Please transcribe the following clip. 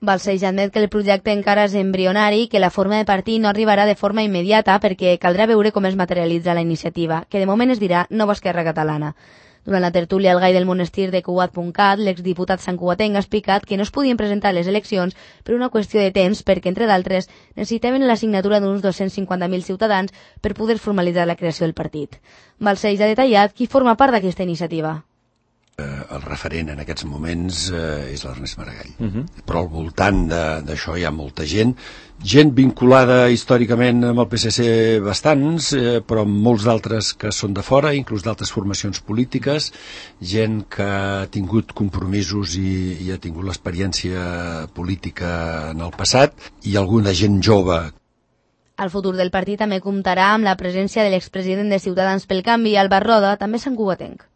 Balcells admet que el projecte encara és embrionari i que la forma de partir no arribarà de forma immediata perquè caldrà veure com es materialitza la iniciativa, que de moment es dirà Nova Esquerra Catalana. Durant la tertúlia al Gai del Monestir de Cugat.cat, l'exdiputat santcugatenc ha explicat que no es podien presentar a les eleccions per una qüestió de temps perquè, entre d'altres, necessitaven la signatura d'uns 250.000 ciutadans per poder formalitzar la creació del partit. Balcells ha detallat qui forma part d'aquesta iniciativa. El referent en aquests moments és l'Ernest Maragall. Però al voltant d'això hi ha molta gent vinculada històricament amb el PSC bastants, però molts d'altres que són de fora, inclús d'altres formacions polítiques, gent que ha tingut compromisos i ha tingut l'experiència política en el passat, i alguna gent jove. El futur del partit també comptarà amb la presència de l'expresident de Ciutadans pel Canvi, Albert Roda, també santcugatenc.